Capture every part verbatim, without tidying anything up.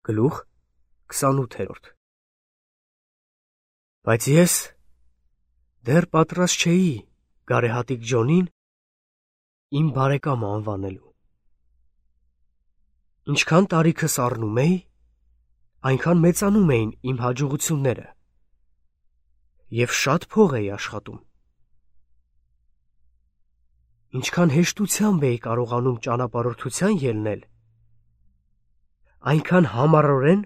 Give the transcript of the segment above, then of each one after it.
Գլուխ քսանութերորդ Բայց ես դեռ պատրաստ չէի գարեհատիկ Ջոնին իմ բարեկամը անվանելու։ Ինչքան տարիքս առնում էի, այնքան մեծանում էին իմ հաջողությունները և շատ փող էի աշխատում։ Ինչքան հեշտությամբ էի կարողանում ճանապարհորդության ելնել, այնքան համառորեն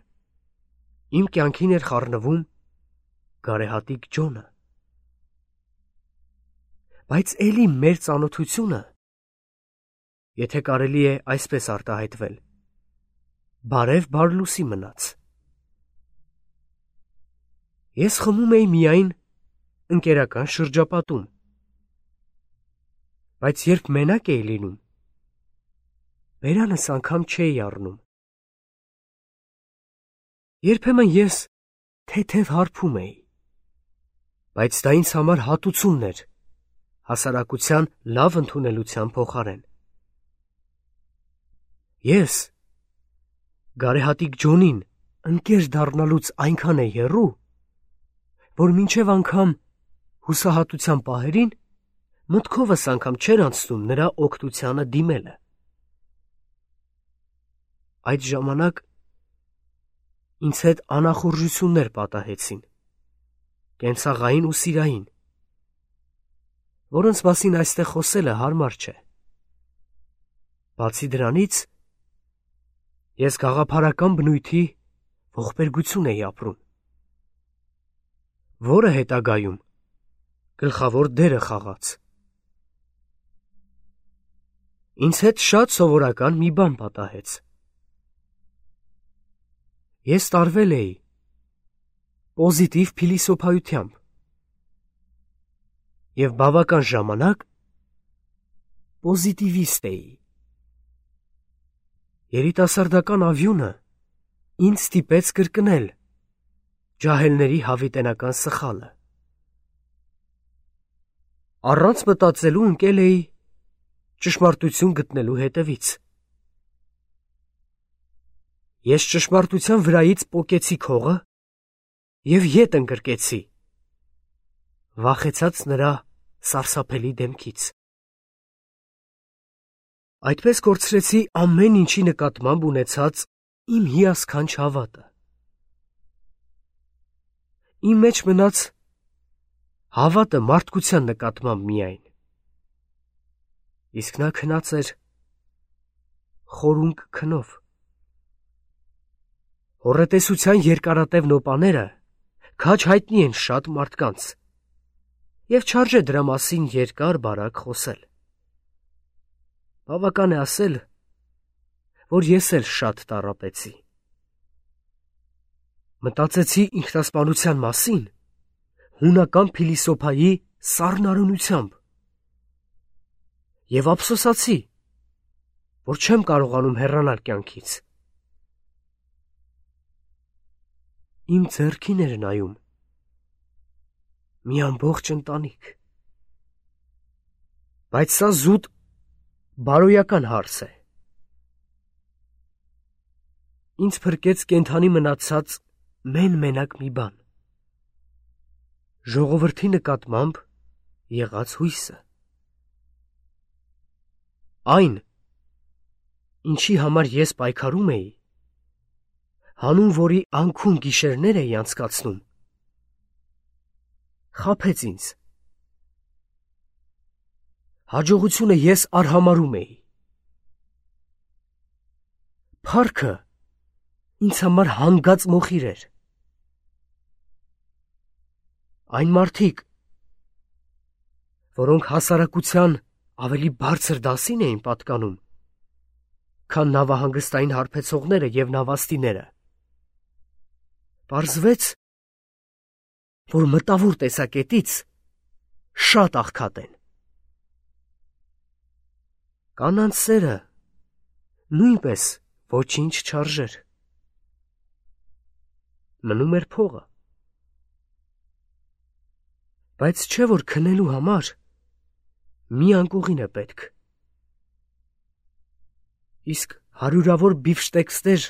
իմ կյանքին էր խառնվում գարեհատիկ Ջոնը։ Բայց էլի մեր ծանոթությունը, եթե կարելի է այսպես արտահայտվել, բարև բարլուսի մնաց։ Ես խմում էի միայն ընկերական շրջապատում, բայց երբ մենակ էի լինում, բերանս անգամ չէի առնում։ Երբեմն ես թեթև հարբում էի, բայց դա ինձ համար հատուցումն էր հասարակության լավ ընդունելության փոխարեն։ Ես գարեհատիկ Ջոնին ընկեր դառնալուց այնքան էի հեռու, որ մինչև անգամ հուսահատության պահերին մտքովս անգամ չէր անցնում նրա օգնությանը դիմելը։ Այդ ժամանակ ինձ հետ անախորժություններ պատահեցին, կենցաղային ու սիրային, որոնց մասին այստեղ խոսելը հարմար չէ։ Բացի դրանից, ես գաղափարական բնույթի ողբերգություն էի ապրում, որը հետագայում գլխավոր դերը խաղաց։ Ինձ հետ շատ սովորական մի բան պատահեց։ Ես տարվել էի պոզիտիվ փիլիսոփայությամբ և բավական ժամանակ պոզիտիվիստ էի։ Երիտասարդական ավյունը ինձ ստիպեց կրկնել ջահելների հավիտենական սխալը։ Առանց մտածելու ընկել էի ճշմարտություն գտնելու հետևից։ Ես ճշմարտության վրայից պոկեցի քողը և ետ ընկրկեցի, վախեցած նրա սարսափելի դեմքից։ Այդպես կորցրեցի ամեն ինչի նկատմամբ ունեցած իմ հիասքանչ հավատը։ Իմ մեջ մնաց հավատը մարդկության նկատմամբ միայն, իսկ նա քնած էր խորունկ քնով։ Հոռետեսության երկարատև նոպաները քաջ հայտնի են շատ մարդկանց, և չարժե դրա մասին երկար-բարակ խոսել։ Բավական է ասել, որ ես էլ շատ տառապեցի։ Մտածեցի ինքնասպանության մասին հունական փիլիսոփայի սառնարյունությամբ և ափսոսացի, որ չեմ կարողանում հեռանալ կյանքից։ Իմ ձեռքին էր նայում մի ամբողջ ընտանիք։ Բայց սա զուտ բարոյական հարց է։ Ինձ փրկեց կենդանի մնացած մեն-մենակ մի բան. ժողովրդի նկատմամբ եղած հույսը։ Այն, ինչի համար ես պայքարում էի, հանուն որի անքուն գիշերներ էի անցկացնում, խաբեց ինձ։ Հաջողությունը ես արհամարհում էի։ Փառքը ինձ համար հանգած մոխիր էր։ Այն մարդիկ, որոնք հասարակության ավելի բարձր դասին էին պատկանում, քան նավահանգստային հարբեցողները և նավաստիները, պարզվեց, որ մտավոր տեսակետից շատ աղքատ են։ Կանանց սերը նույնպես ոչինչ չարժեր։ Մնում էր փողը։ Բայց չէ որ քնելու համար մի անկողին է պետք։ Իսկ հարյուրավոր բիֆշտեքսներ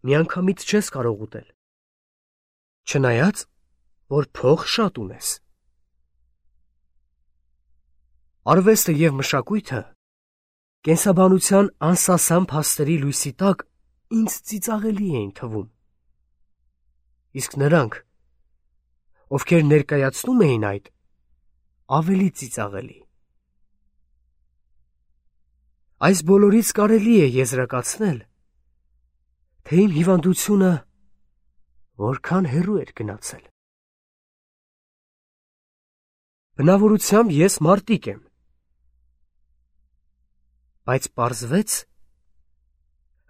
միանգամից չես կարող ուտել, չնայած, որ փող շատ ունես։ Արվեստը և մշակույթը կենսաբանության անսասան փաստերի լույսի տակ ինձ ծիծաղելի էին թվում, իսկ նրանք, ովքեր ներկայացնում էին այդ, ավելի ծիծաղելի։ Այս բոլորից կարելի է եզրակացնել, թե իմ հիվանդությունը որքան հեռու էր գնացել։ Բնավորությամբ ես մարտիկ եմ, բայց պարզվեց,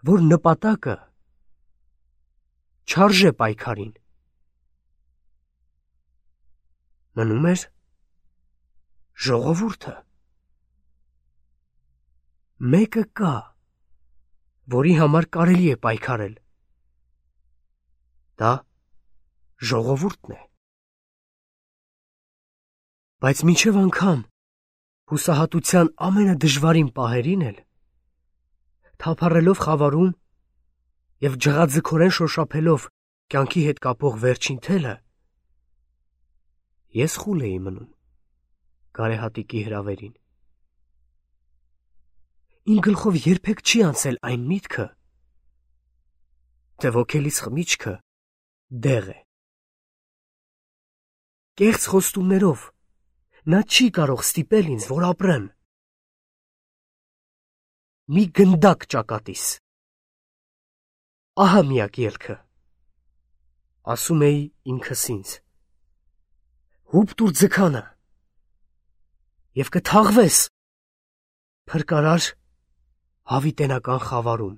որ նպատակը չարժե պայքարին։ Մնում էր ժողովուրդը։ Մեկը կա, որի համար կարելի է պայքարել։ Դա ժողովուրդն է։ Բայց մինչև անգամ հուսահատության ամենադժվարին պահերին էլ, թափառելով խավարում և ջղաձգորեն շոշափելով կյանքի հետ կապող վերջին թելը, ես խուլ էի մնում գարեհատիկի հրավերին։ Իմ գլխով երբեք չի անցել այն միտքը, թե ոգելիս խմիչքը դեղ է։ Կեղծ խոստումներով նա չի կարող ստիպել ինձ, որ ապրեմ։ Մի գնդակ ճակատիս։ Ահա միակ ելքը, ասում էի ինքս ինձ, հուպ տուր ձգանը և կթաղվես փրկարար հավիտենական խավարում։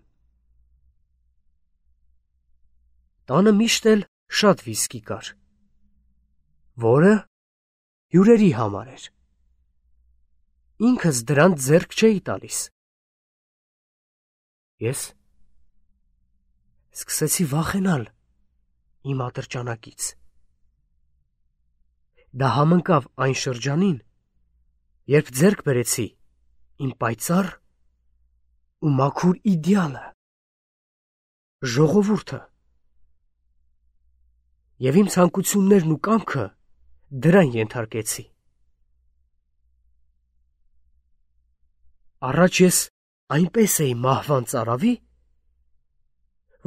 Տանը միշտ էլ շատ վիսկի կար, որը հյուրերի համար էր։ Ինքս դրանց ձեռք չէի տալիս։ Ես սկսեցի վախենալ իմ ատրճանակից։ Դա համընկավ այն շրջանին, երբ ձեռք բերեցի իմ պայծառ ու մաքուր իդեալը՝ ժողովուրդը, և իմ ցանկություններն ու կամքը դրան ենթարկեցի։ Առաջ ես այնպես էի մահվան ծարավի,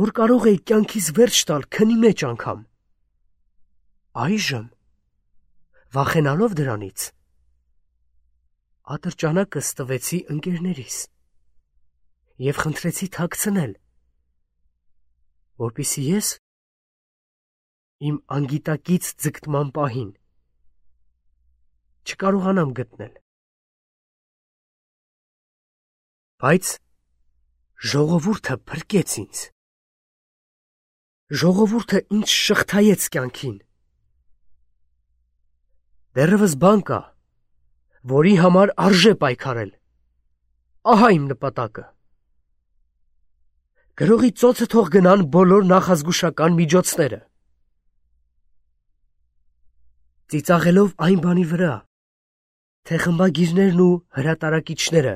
որ կարող էի կյանքիս վերջ տալ քնի մեջ անգամ։ Այժմ, վախենալով դրանից, ատրճանակս տվեցի ընկերներիս և խնդրեցի թաքցնել, որպեսզի ես իմ անգիտակից ձգտման պահին չկարողանամ գտնել։ Բայց ժողովուրդը փրկեց ինձ։ Ժողովուրդը ինձ շղթայեց կյանքին։ Դեռևս բան կա, որի համար արժե պայքարել։ Ահա իմ նպատակը։ Գրողի ծոցը թող գնան բոլոր նախազգուշական միջոցները։ Ծիծաղելով այն բանի վրա, թե խմբագիրներն ու հրատարակիչները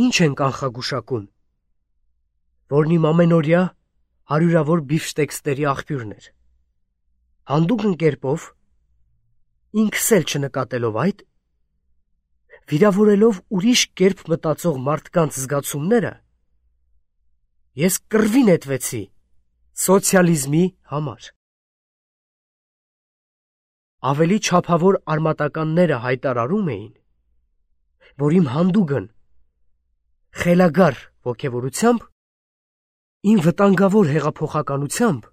ինչ են կանխագուշակում, որն իմ ամենօրյա հարյուրավոր բիֆշտեքսների աղբյուրն էր։ Հանդուգն կերպով, ինքս էլ չնկատելով այդ, վիրավորելով ուրիշ կերպ մտածող մարդկանց զգացումները, ես կռվի նետվեցի սոցիալիզմի համար։ Ավելի չափավոր արմատականները հայտարարում էին, որ իմ հանդուգն խելագար ոգևորությամբ, իմ վտանգավոր հեղափոխականությամբ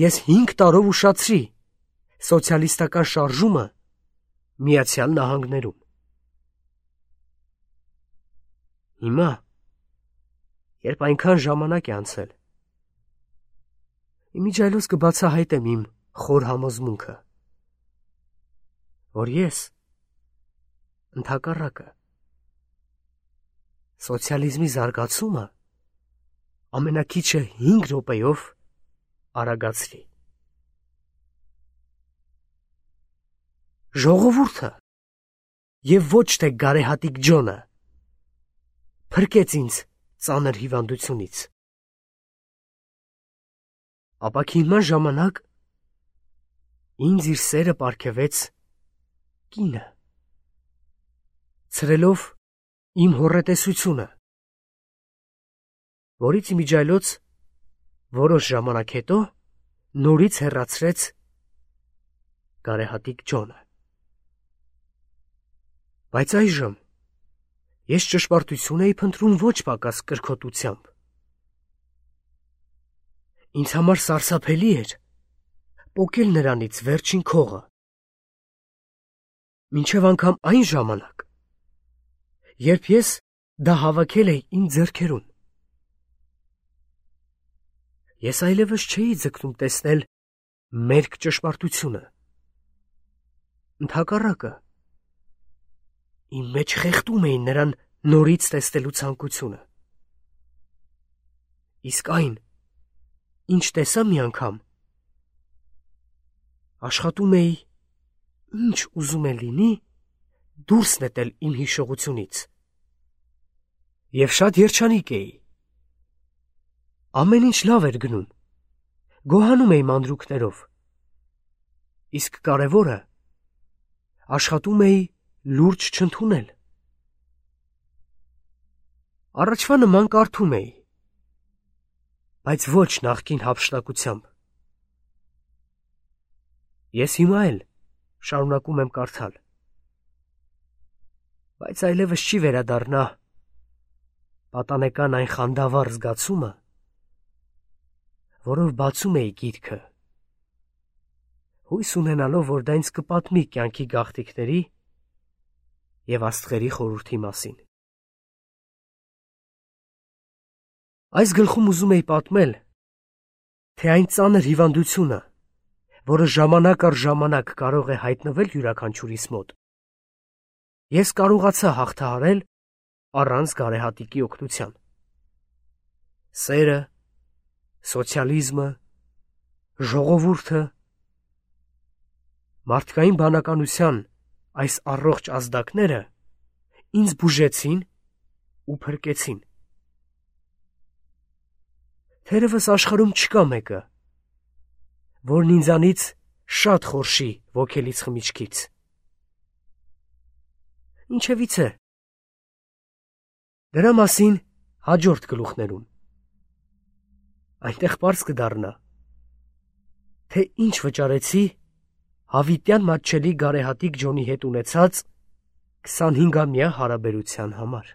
ես հինգ տարով ուշացրի սոցիալիստական շարժումը Միացյալ Նահանգներում։ Հիմա, երբ այնքան ժամանակ է անցել, իմիջիայլոց կբացահայտեմ իմ խոր համոզմունքը, որ ես, ընդհակառակը, սոցիալիզմի զարգացումը ամենաքիչը հինգ րոպեով արագացրի։ Ժողովուրդը և ոչ թե գարեհատիկ Ջոնը փրկեց ինձ ծանր հիվանդությունից։ ապաքինման ժամանակ ինձ իր սերը պարգևեց կինը, ցրելով իմ հոռետեսությունը, որից իմիջայլոց որոշ ժամանակ հետո նորից հեռացրեց գարեհատիկ Ջոնը։ Բայց այժմ ես ճշմարտություն էի փնտրում ոչ պակաս կրքոտությամբ։ Ինձ համար սարսափելի էր պոկել նրանից վերջին քողը, մինչև անգամ այն ժամանակ, երբ ես դա հավաքել էի իմ ձեռքերում։ Ես այլևս չէի ձգտում տեսնել մերկ ճշմարտությունը։ Ընդհակառակը, իմ մեջ խեղդում էին նրան նորից տեսնելու ցանկությունը։ Իսկ այն, ինչ տեսա մի անգամ, աշխատում էի, ինչ ուզում է լինի, դուրս նետել իմ հիշողությունից։ Եվ շատ երջանիկ էի։ Ամեն ինչ լավ էր գնում, գոհանում էի մանրուքներով, իսկ կարևորը աշխատում էի լուրջ չընդունել։ Առաջվա նման կարդում էի, բայց ոչ նախկին հափշտակությամբ։ Ես հիմա էլ շարունակում եմ կարդալ, բայց այլևս չի վերադառնա պատանեկան այն խանդավառ զգացումը, որով բացում էի գիրքը, հույս ունենալով, որ դա ինձ կպատմի կյանքի գաղթիքների և աստղերի խորհրդի մասին։ Այս գլխում ուզում էի պատմել, թե այն ծանր հիվանդությունը, որը ժամանակ առ ժամանակ կարող է հայտնվել յուրաքանչյուրիս մոտ, ես կարողացա հաղթահարել առանց գարեհատիկի օգնության։ Սերը, սոցիալիզմը, ժողովուրդը, մարդկային բանականության այս առողջ ազդակները ինձ բուժեցին ու փրկեցին։ Թերևս աշխարհում չկա մեկը, որն ինձանից շատ խորշի ոգելից խմիչքից։ Ինչևից է, դրա մասին հաջորդ գլուխներում։ Այնտեղ պարզ կդառնա, թե ինչ վճարեցի հավիտյան մատչելի գարեհատիկ Ջոնի հետ ունեցած քսանհինգամյա հարաբերության համար։